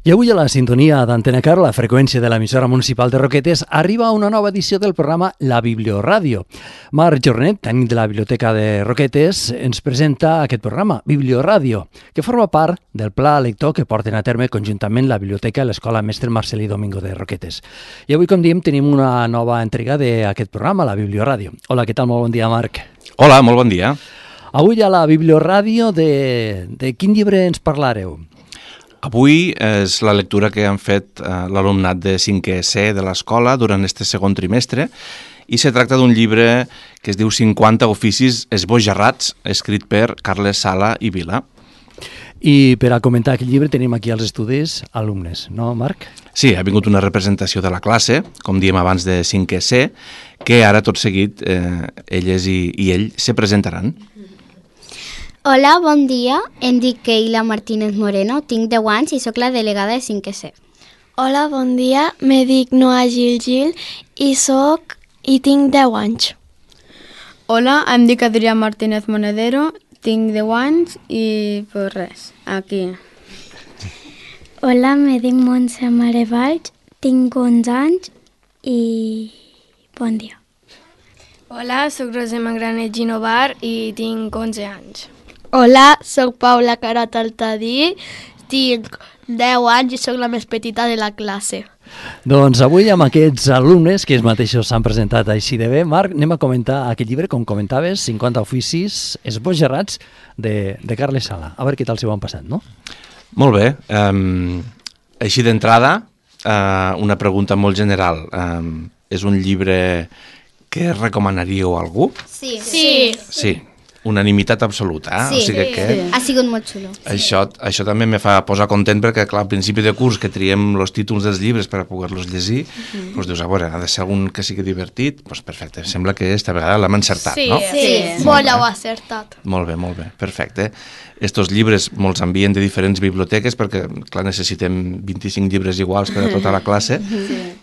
I avui a la sintonia d'Antena Car, la freqüència de l'emissora municipal de Roquetes, arriba una nova edició del programa La Biblioràdio. Marc Jornet, tècnic de la Biblioteca de Roquetes, ens presenta aquest programa, Biblioràdio, que forma part del pla lector que porten a terme conjuntament la Biblioteca i l'Escola Mestre Marcelí Domingo de Roquetes. I avui, com diem, tenim una nova entrega d'aquest programa, La Biblioràdio. Hola, què tal? Molt bon dia, Marc. Hola, molt bon dia. Avui a la Biblioràdio de quin llibre ens parlareu? Avui és la lectura que han fet l'alumnat de 5è C de l'escola durant este segon trimestre i se tracta d'un llibre que es diu 50 oficis esbojarrats, escrit per Carles Sala i Vila. I per a comentar aquest llibre tenim aquí als estudis alumnes, no, Marc? Sí, ha vingut una representació de la classe, com diem abans de 5è C, que ara tot seguit elles i ell se presentaran. Hola, bon dia. Em dic Keila Martínez Moreno, tinc 10 anys i sóc la delegada de 5è C. Hola, bon dia. Me dic Noa Gil i tinc 10 anys. Hola, em dic Adrià Martínez Monedero, tinc 10 anys i pues res, aquí. Hola, me dic Montse Mare Valls, tinc 11 anys i bon dia. Hola, sóc Roser Magranet Ginovar i tinc 11 anys. Hola, sóc Paula Carat Altadí, tinc 10 anys i sóc la més petita de la classe. Doncs avui amb aquests alumnes que ells mateixos s'han presentat així de bé, Marc, anem a comentar aquest llibre, com comentaves, 50 oficis esbojarrats de Carles Sala. A veure què tal s'ho han passat, no? Molt bé. Així d'entrada, una pregunta molt general. És un llibre que recomanaríeu a algú? Sí. Sí. Unanimitat absoluta, Sí, o sigui que ha sigut molt xulo. això també me fa posar content perquè, clar, al principi de curs que triem els títols dels llibres per a poder-los llegir, doncs dius, a veure, ha de ser algun que sigui divertit, doncs perfecte, sembla que esta vegada l'hem encertat, no? Sí. Molt heu acertat. Molt bé, perfecte. Estos llibres molts envien de diferents biblioteques perquè, clar, necessitem 25 llibres iguals per a tota la classe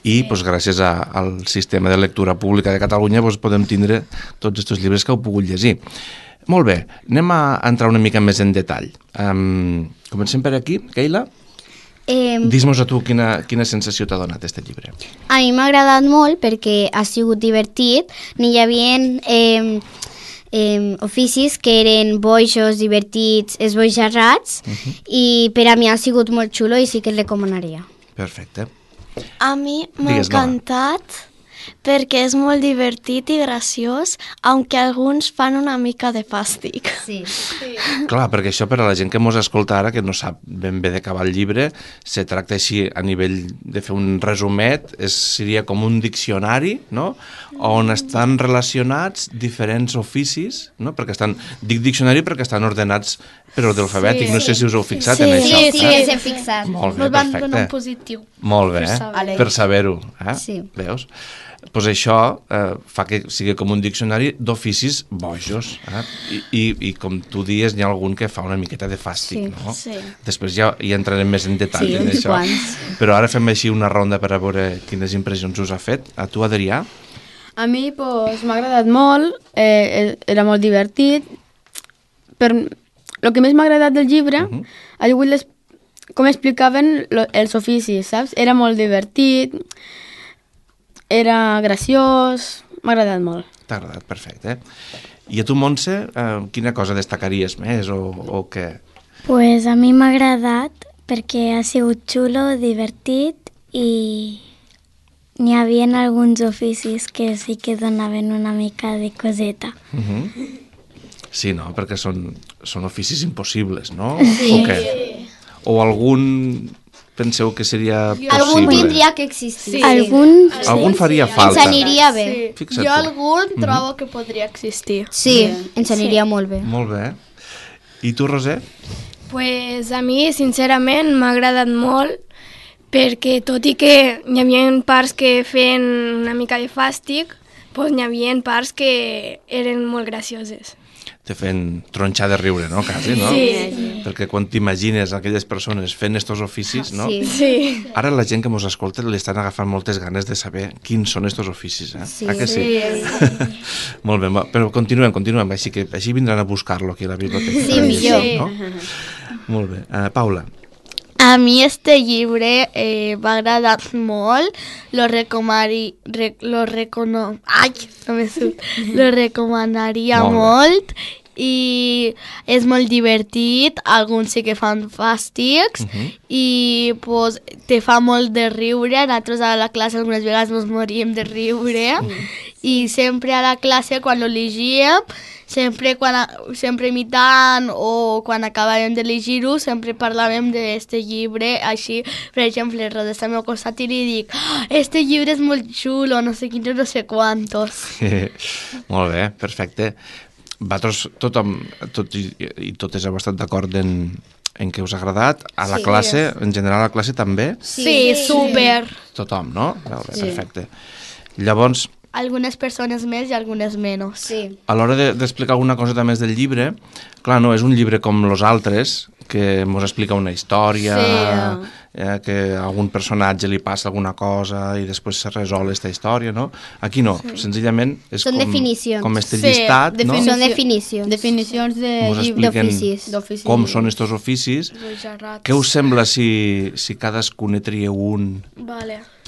i, doncs, gràcies al sistema de lectura pública de Catalunya doncs, podem tindre tots aquests llibres que heu pogut llegir. Molt bé, anem a entrar una mica més en detall. Comencem per aquí, Keila. Dis-nos a tu quina sensació t'ha donat aquest llibre. A mi m'ha agradat molt perquè ha sigut divertit. N'hi havia oficis que eren boixos, divertits, esbojarrats i per a mi ha sigut molt xulo i sí que el recomanaria. Perfecte. A mi m'ha encantat perquè és molt divertit i graciós, aunque alguns fan una mica de fàstic. Sí. Clar, perquè això per a la gent que mos escolta ara, que no sap ben bé d'acabar el llibre, se tracta així a nivell de fer un resumet, seria com un diccionari, no?, on estan relacionats diferents oficis, no?, dic diccionari perquè estan ordenats per ordre alfabètic, no sé si us heu fixat en això. Sí, ens hem fixat. Molt bé, Nos van donar un perfecte. positiu. Molt bé, per saber-ho. Sí. Veus? Doncs això fa que sigui com un diccionari d'oficis bojos. I com tu dies, n'hi ha algun que fa una miqueta de fàstic, no? Sí. Després ja hi entrarem més en detall en uns això. quants. Però ara fem així una ronda per a veure quines impressions us ha fet. A tu, Adrià? A mi m'ha agradat molt, era molt divertit, però el que més m'ha agradat del llibre ha sigut com explicaven els oficis, saps? Era molt divertit, era graciós, m'ha agradat molt. T'ha agradat, perfecte. I a tu, Montse, quina cosa destacaries més o què? Pues a mi m'ha agradat perquè ha sigut xulo, divertit i n'hi havia alguns oficis que sí que donaven una mica de coseta. Sí, no? Perquè són oficis impossibles, no? Sí. O què? O algun penseu que seria possible? Algun tindria que existir. Sí. Algun faria falta. Ens aniria bé. Fixa't Jo tu. algun trobo que podria existir. Sí, ens aniria molt bé. Molt bé. I tu, Roser? Pues a mi, sincerament, m'ha agradat molt perquè tot i que hi havia parts que feien una mica de fàstic, pues n'hi havia parts que eren molt gracioses. Te fent tronxar de riure, no? Quasi, no? Sí. Perquè quan t'imagines aquelles persones fent estos oficis, no? Sí. Ara la gent que mos escolta li estan agafant moltes ganes de saber quins són estos oficis, eh? Sí. Que sí? Molt bé, però continuem, així vindran a buscar-lo aquí a la biblioteca. Sí, millor. No? Molt bé. Paula, A mi este llibre m'ha agradat molt, lo recomanaria molt i és molt divertit, alguns sí que fan fàstics i pues, te fa molt de riure, nosaltres a la classe algunes vegades ens moríem de riure i sempre a la classe quan lo llegíem, sempre imitant o quan acabàvem de llegir-ho, sempre parlàvem d'este llibre, així, per exemple, Rosa està al meu costat i li dic este llibre és molt xulo, no sé quins, no sé quantos. Molt bé, perfecte. Vosaltres tot i totes heu estat d'acord en què us ha agradat? A la classe, en general a la classe també? Sí, super. Tothom, no? Molt bé, perfecte. Llavors, algunes persones més i algunes menys. Sí. a l'hora d'explicar alguna cosa més del llibre, clar, no és un llibre com els altres, que ens explica una història, que a algun personatge li passa alguna cosa i després se resol aquesta història, no? Aquí no, senzillament és com este llistat, no? Són definicions. Definicions Us expliquen com són estos oficis. Què us sembla si cadascun ne trieu un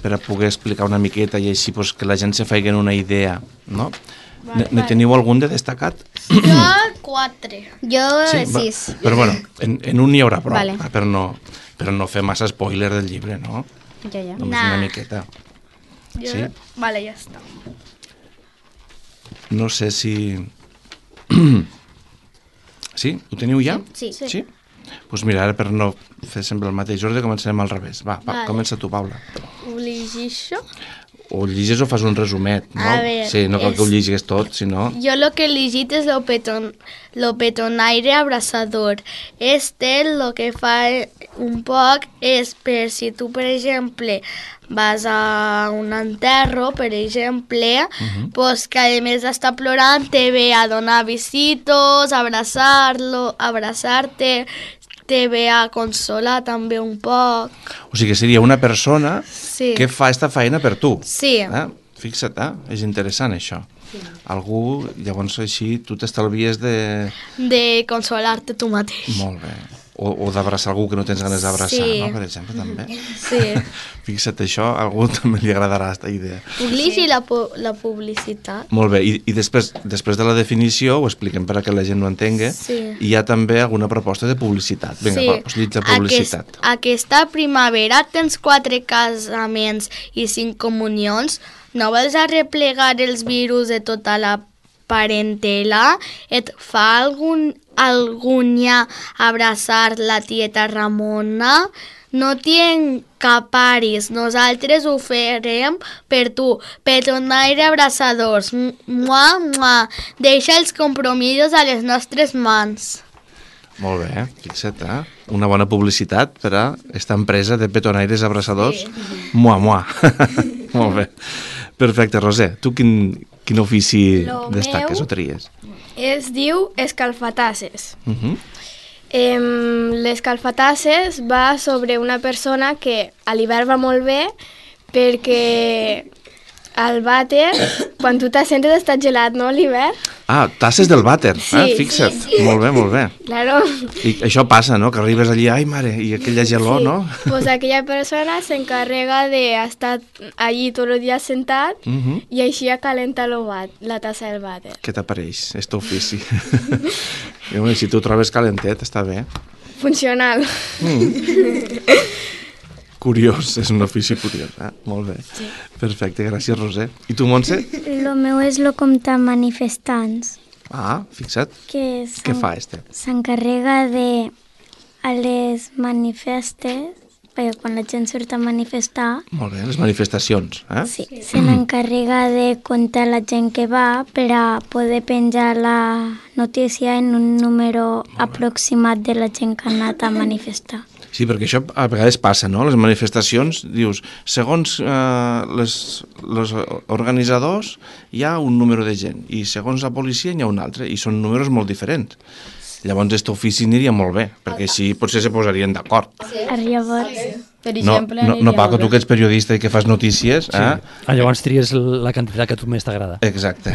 per a poder explicar una miqueta i així pues, que la gent se faci una idea, no? Ne teniu algun de destacat? Jo 4. Jo 6. Però bueno, en un n'hi haurà prou, per no fer massa spoiler del llibre, no? Ja. Només una miqueta. Sí? Vale, ja està. No sé si... Sí? Ho teniu ja? Sí. Doncs mira, ara per no fer sempre el mateix ordre, començarem al revés. Va, comença tu, Paula. Ho llegeixo? O llegis o fas un resumet, no? A ver, sí, no cal que ho llegis tot, sinó... Jo lo que he llegit és lo petonaire abraçador. Lo que fa un poc és per si tu, per exemple, vas a un enterro, per exemple, pues que a més d'estar plorant te ve a donar besitos, abraçar-te, te ve a consolar també un poc. O sigui que seria una persona que fa esta feina per tu. Sí. Fixa't, és interessant això. Algú, llavors així, tu t'estalvies de... De consolar-te tu mateix. Molt bé. O d'abraçar algú que no tens ganes d'abraçar, no? Per exemple, també. Sí. Fixa't, això a algú també li agradarà, aquesta idea. Puc llegir la publicitat? Molt bé, i després de la definició, ho expliquem per a que la gent ho entengui, hi ha també alguna proposta de publicitat. Vinga, doncs llig la publicitat. Aquesta primavera tens 4 casaments i 5 comunions. No vols arreplegar els virus de tota la parentela? Et fa algunya abraçar la tieta Ramona? No t'hi encaparis, nosaltres ho farem per tu. Petonaire abraçadors, mua, mua. Deixa els compromisos a les nostres mans. Molt bé, fixa't, una bona publicitat per a aquesta empresa de petonaires abraçadors. Mua, mua. Molt bé. Perfecte, Roser, tu quin ofici destaques o tries? Es diu escalfatasses. Les escalfatasses va sobre una persona que a l'hivern va molt bé perquè al vàter, quan tu t'assentes està gelat, no, l'hivern? Ah, tasses del vàter, fixa't. Sí. Molt bé, molt bé. Claro. I això passa, no?, que arribes allí, ai mare, i aquella gelor, no? Pues aquella persona s'encarrega d'estar allí tot el dia sentat i així acalenta la tassa del vàter. Què t'apareix, este ofici? I si tu trobes calentet, està bé. Funcional. Curiós, és un ofici curiós, molt bé. Sí. Perfecte, gràcies, Roser. I tu, Montse? Lo meu és lo compte manifestants. Ah, fixa't. Què fa este? S'encarrega de a les manifestes, perquè quan la gent surt a manifestar... Molt bé, les manifestacions, Sí, se n'encarrega de comptar la gent que va per a poder penjar la notícia en un número aproximat de la gent que ha anat a manifestar. Sí, perquè això a vegades passa, no? Les manifestacions, dius, segons els organitzadors hi ha un número de gent i segons la policia hi ha un altre i són números molt diferents. Llavors, aquest ofici aniria molt bé, perquè així potser se posarien d'acord. Llavors, Per exemple, no, Paco, tu que ets periodista i que fas notícies... Sí. Llavors tries la quantitat que a tu més t'agrada. Exacte.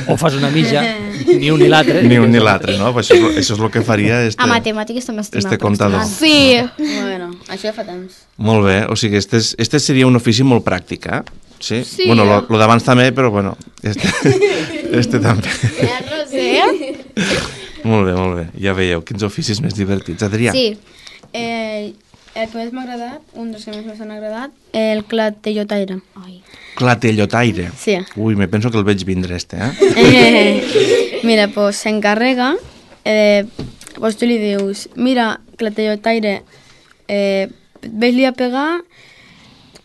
O fas una mitja, ni un ni l'altre. Ni un ni l'altre, no? Això és el que faria a matemàtiques també estima contador. Sí. Bueno, això ja fa temps. Molt bé, o sigui, este seria un ofici molt pràctic, eh? Sí? Sí. Bueno, lo d'abans també, però bueno, este també. Ja no sé. Molt bé. Ja veieu, quins oficis més divertits. Adrià? Sí. El que més m'ha agradat, un dels que més m'han agradat, el clatellotaire. Clatellotaire. Sí. Ui, me penso que el veig vindre eh? Mira, pues s'encarrega, pues tu li dius, mira, clatellotaire, ves-li a pegar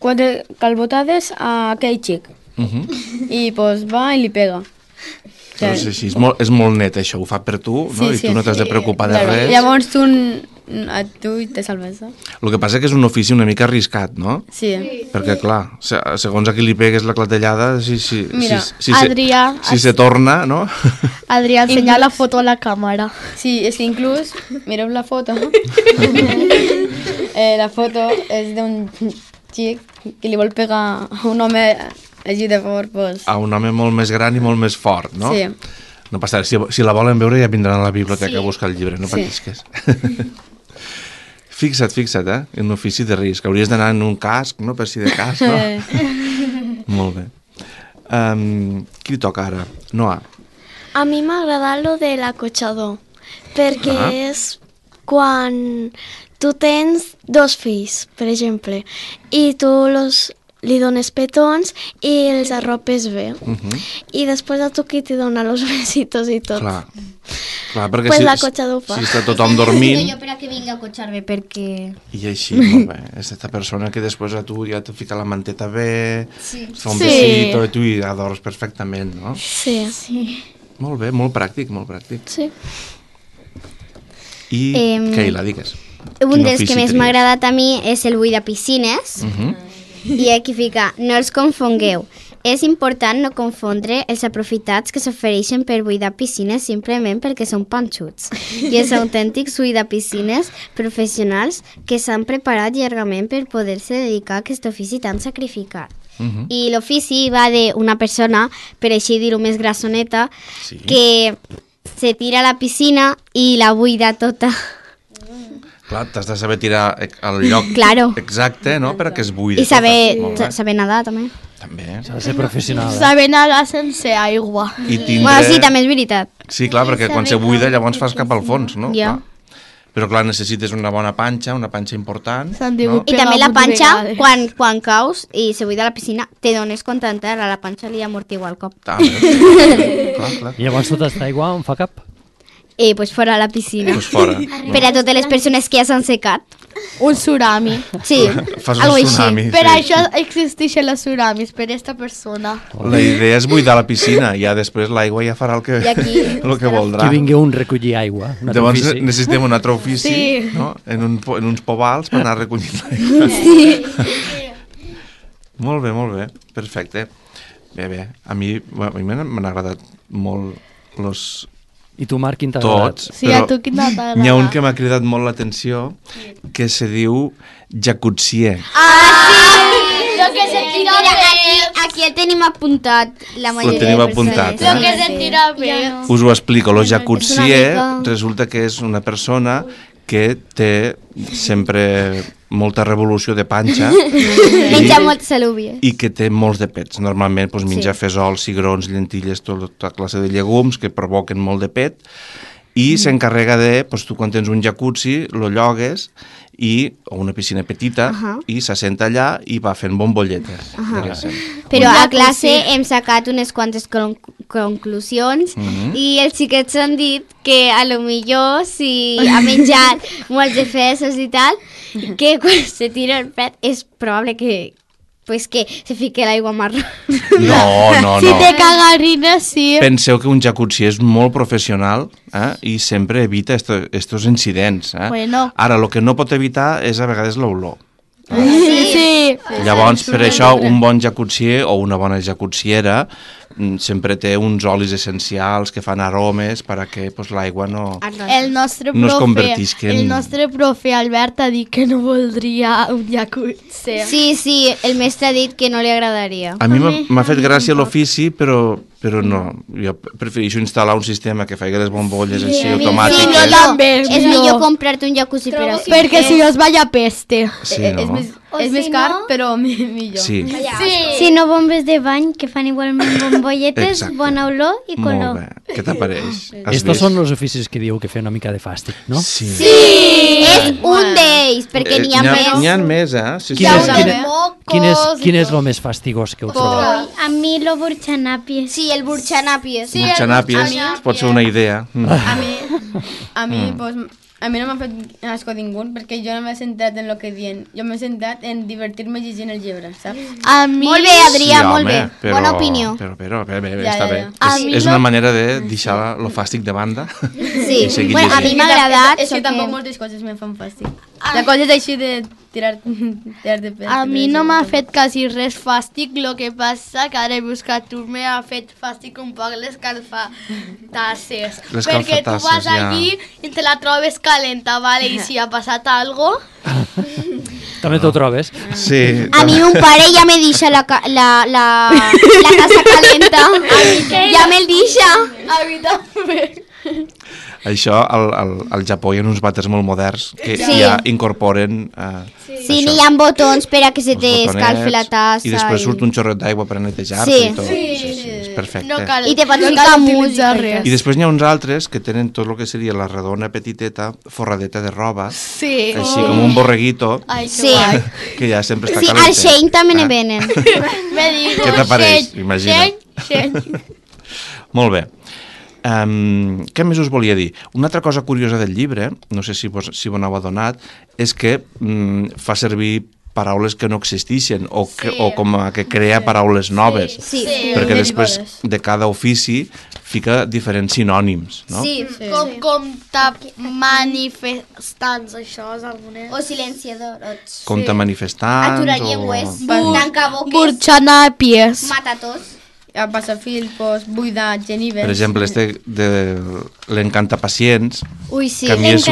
4 calbotades a aquell xic. I pues va i li pega. Doncs així, és molt net això, ho fa per tu, no? I tu no t'has de preocupar de res. Llavors tu te salves. El que passa que és un ofici una mica arriscat, no? Sí. Perquè, clar, segons a qui li pegues la clatellada, Mira, Adrià, si se torna, no? Adrià, ensenya la foto a la càmera. Sí, és que inclús, mireu la foto. La foto és d'un xic que li vol pegar a un home així de fort, pues... A un home molt més gran i molt més fort, no? Sí. No passa res, si la volen veure ja vindran a la biblioteca a buscar el llibre, no patisques. Fixa't, en un ofici de risc. Hauries d'anar en un casc, no? Per si de cas, no? Molt bé. Qui toca ara? Noa. A mi m'ha agradat lo de l'acotxador, perquè és quan tu tens 2 fills, per exemple, i tu li dones petons i els arropes bé. I després a tu qui t'hi dona los besitos i tot. Clar, perquè pues l'acotxador fa. Si està tothom dormint... Jo per a que vinga a acotxar-me, perquè... I així, molt bé. És aquesta persona que després a tu ja te fica la manteta bé, fa un besito i tu hi adors perfectament, no? Sí. Molt bé, molt pràctic, molt pràctic. Sí. I, Keila, digues. Un dels que més m'ha agradat a mi és el buit de piscines. I aquí fica, no els confongueu. És important no confondre els aprofitats que s'ofereixen per buidar piscines simplement perquè són panxuts. I els autèntics buidar piscines professionals que s'han preparat llargament per poder-se dedicar a aquest ofici tan sacrificat. I l'ofici va d'una persona, per així dir-ho més grassoneta, que se tira a la piscina i la buida tota. Clar, t'has de saber tirar al lloc exacte, no?, perquè es buida. I saber nedar, també. També. S'ha de ser professional. Saber nedar sense aigua. Bueno, sí, també és veritat. Sí, clar, perquè quan se buida llavors fas cap al fons, no? Ja. Però clar, necessites una bona panxa, una panxa important. No? I també la panxa, quan caus i se buida la piscina, te dones compte a la panxa li amortigua el cop. Clar. I llavors tota aquesta aigua on fa cap? Pues fora a la piscina. Pues fora. Per a totes les persones que ja s'han secat. Un tsunami. Sí, fas un tsunami. Per això existeixen els tsunamis, per aquesta persona. La idea és buidar la piscina, ja després l'aigua ja farà el que voldrà. Que vingui un recollir aigua. Llavors necessitem un altre ofici, no? En uns povals per anar recollint l'aigua. Sí. Molt bé, perfecte. Bé, a mi m'han agradat molt los... I tu, Marc, quin t'ha agradat? Tots, sí, a tu quin t'ha agradat? N'hi ha un que m'ha cridat molt l'atenció, que se diu jacuzzier. Sí! Lo que se tira aquí el tenim apuntat, la majoria de persones. Lo que se tira bé. Us ho explico, lo jacuzzier resulta que és una persona que té sempre molta revolució de panxa menja moltes alúvies i que té molts de pets. Normalment menja fesols, cigrons, llentilles, tota classe de llegums que provoquen molt de pet i s'encarrega de, tu quan tens un jacuzzi lo llogues o una piscina petita i s'assenta allà i va fent bombolletes. Però a classe hem sacat unes quantes conclusions i els xiquets han dit que a lo millor si ha menjat molts de fesos i tal, que quan se tira el pet és probable que se fique l'aigua marró. No. Si té cagarines, sí. Penseu que un jacuzzi és molt professional i sempre evita estos incidents. Bueno. Ara, el que no pot evitar és a vegades l'olor. Sí. Llavors, per això, un bon jacuzzier o una bona jacuzziera sempre té uns olis essencials que fan aromes perquè pues, l'aigua no es convertisca en... El nostre profe Albert ha dit que no voldria un jacuzzi. Sí, el mestre ha dit que no li agradaria. A mi m'ha fet gràcia l'ofici, però no. Jo prefereixo instal·lar un sistema que faci les bombolles així automàtiques. Sí, també. És millor comprar-te un jacuzzi per així. Perquè si no es vaya peste. Sí, no? És més car, però millor. Sí. Si no, bombes de bany que fan igualment bombolletes, bona olor i color. Molt bé, què t'apareix? Estos són els oficis que diu que fer una mica de fàstic, no? Sí! És un d'ells, perquè n'hi ha més. N'hi ha més, eh? Quin és el més fastigós que heu trobat? A mi lo burxanàpies. Sí, el burxanàpies. Burxanàpies, pot ser una idea. A mi no m'ha fet asco ningú, perquè jo no m'he centrat en el que diuen. Jo m'he centrat en divertir-me llegint el llibre, saps? A mi... Molt bé, Adrià, molt bé. Bona opinió. Però, està bé. És una manera de deixar lo fàstic de banda Sí, i seguir bueno, a mi llegint. m'ha agradat. És que tampoc moltes coses me fan fàstic. De coses així de tirar de pes. A mi no m'ha fet quasi res fàstic, el que passa que ara he buscat tu m'ha fet fàstic un poc l'escalfatasses. Perquè tu vas allí i te la trobes calenta, vale? I si ha passat algo... També t'ho trobes? Sí. A mi un pare ja me deixa la casa calenta. Ja me'l deixa. A mi també. Això, al Japó hi ha uns vàters molt moderns que Sí. ja incorporen Sí, n'hi ha botons per a que se els t'escalfi la botonets, tassa. i després surt un xorret d'aigua per a netejar-te Sí. i tot. Sí, és perfecte. No cal, I te pots no ficar cal música utilitzar i res. I després n'hi ha uns altres que tenen tot el que seria la redona petiteta, forradeta de roba, Sí. així com un borreguito, Ai, que Sí. guai. que ja sempre està Sí, al calentet. Shein també ne venen. Me digo, Què t'apareix? Shein, Imagina't. Shein. Molt bé. Què més us volia dir? Una altra cosa curiosa del llibre, no sé si vos n'heu adonat, és que fa servir paraules que no existeixen o com a que crea paraules noves. Sí. Perquè després de cada ofici fica diferents sinònims, no? Sí. Com manifestants, això és algunes... O silenciadors. Compte manifestants Aturallengües. o... Tancaboques. Burxanàpies. Matatos. A passafil, pues, buidar, genives. Per exemple, de l'encantapacients, Ui, sí. que a mi és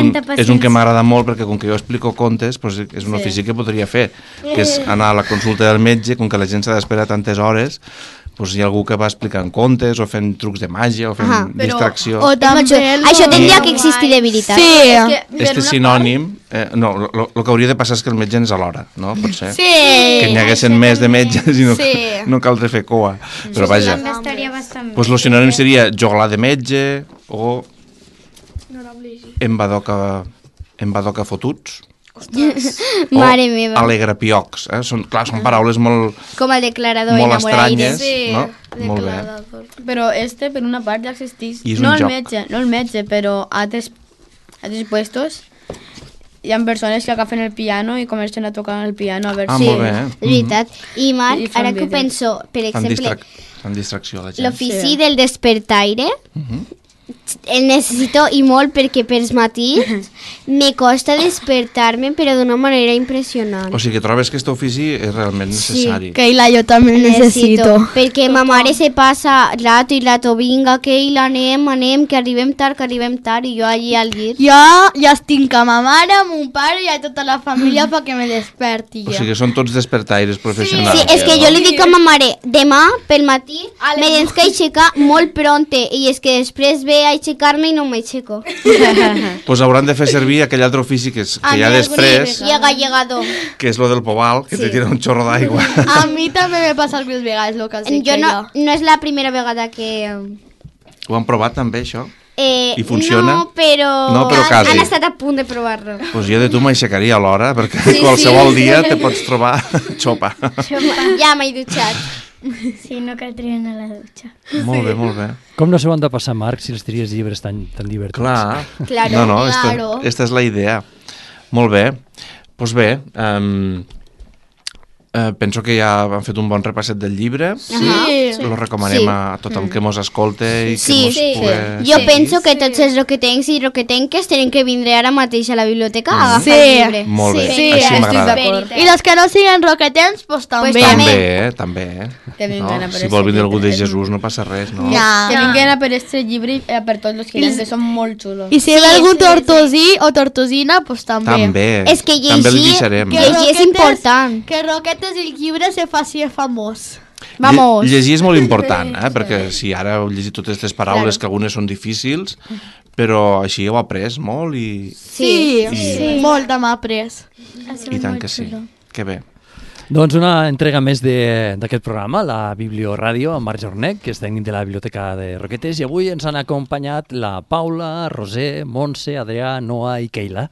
un que m'agrada molt perquè com que jo explico contes, pues, és un ofici que podria fer, que és anar a la consulta del metge, com que la gent s'ha d'esperar tantes hores, pues hi ha algú que va explicant contes o fent trucs de màgia o fent distracció. O també... Això tindria que existir de veritat. Sí. Este sinònim, no, el que hauria de passar és que el metge és a l'hora, no? Potser. Sí. Que n'hi haguessin més de metges i Sí. no caldria fer coa. Però vaja, Estaria bastant bé. pues el sinònim seria joglar de metge o embadoca fotuts. Mare meva. Alegrapiocs, són paraules molt Com el declarador molt enamoraire. estranyes, no? Molt bé. Però per una part ja existeix. I és un joc. No el metge, però a altres puestos hi ha persones que agafen el piano i comencen a tocar el piano a veure Ah, si... molt bé. És veritat. I Marc, I fan ara que ho vídeos. penso, per exemple, Fan distracció a la gent. l'ofici del despertaire, el necessito i molt perquè pels matins me costa despertar-me però d'una manera impressionant. O sigui que trobes que aquest ofici és realment necessari. Keila, jo també el necessito. Perquè ma mare se passa rato i rato, vinga, Keila, anem, que arribem tard, i jo allí al llit. Jo ja estic amb ma mare, amb mon pare i a tota la família perquè me desperti O jo. sigui que són tots despertaires professionals. Sí, és que jo li dic a ma mare, demà pel matí me tens que aixecar molt pronte i és que després ve a aixecar-me i no m'aixeco. Pues hauran de fer servir aquell altre ofici que hi ha després, Llegador. que és lo del pobal, que te tira un xorro d'aigua. A mi també me passa algunes vegades el que has dit, Jo Keila. no és la primera vegada que... Ho han provat també, això? I funciona? No, però, No, però quasi. han estat a punt de provar-lo. Pues jo de tu m'aixecaria a l'hora, perquè qualsevol dia te pots trobar xopa. Ja m'he dutxat. Sí, no caldria anar a la dutxa. Molt bé, molt bé. Com no s'ho han de passar, Marc, si els tries llibres tan divertits? Clar. Claro, No, claro. esta és la idea. Molt bé. Doncs bé, Penso que ja han fet un bon repasset del llibre. Lo recomanem a tothom que mos escolte i que mos pugui... Jo penso que tots els roquetencs i roquetenques tenen que vindre ara mateix a la biblioteca a agafar el llibre. Molt bé, així m'agrada. I els que no siguin roquetens, doncs també. També. Si vol vindre algú de Jesús no passa res, no? Que vinguin a per este llibre i per tots els que són molt xulos. I si ve algun tortosí o tortosina, doncs també. També. És que llegir és important. Que roquetes i el llibre se faci famós. Vamos. Llegir és molt important, perquè si ara heu llegit totes aquestes paraules, que algunes són difícils, però així heu après molt i... Sí, molt hem après. I tant que sí. Que bé. Doncs una entrega més d'aquest programa, la Biblioràdio, amb Marc Jornet, que és tècnic de la Biblioteca de Roquetes, i avui ens han acompanyat la Paula, Roser, Montse, Adrià, Noa i Keila.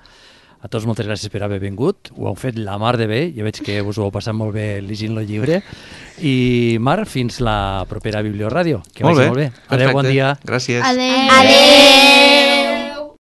A tots moltes gràcies per haver vingut, ho heu fet la mar de bé, ja veig que us ho heu passat molt bé llegint el llibre. I Marc, fins la propera Biblioràdio, que vagi molt bé. Adéu, bon dia. Gràcies. Adéu. Adéu.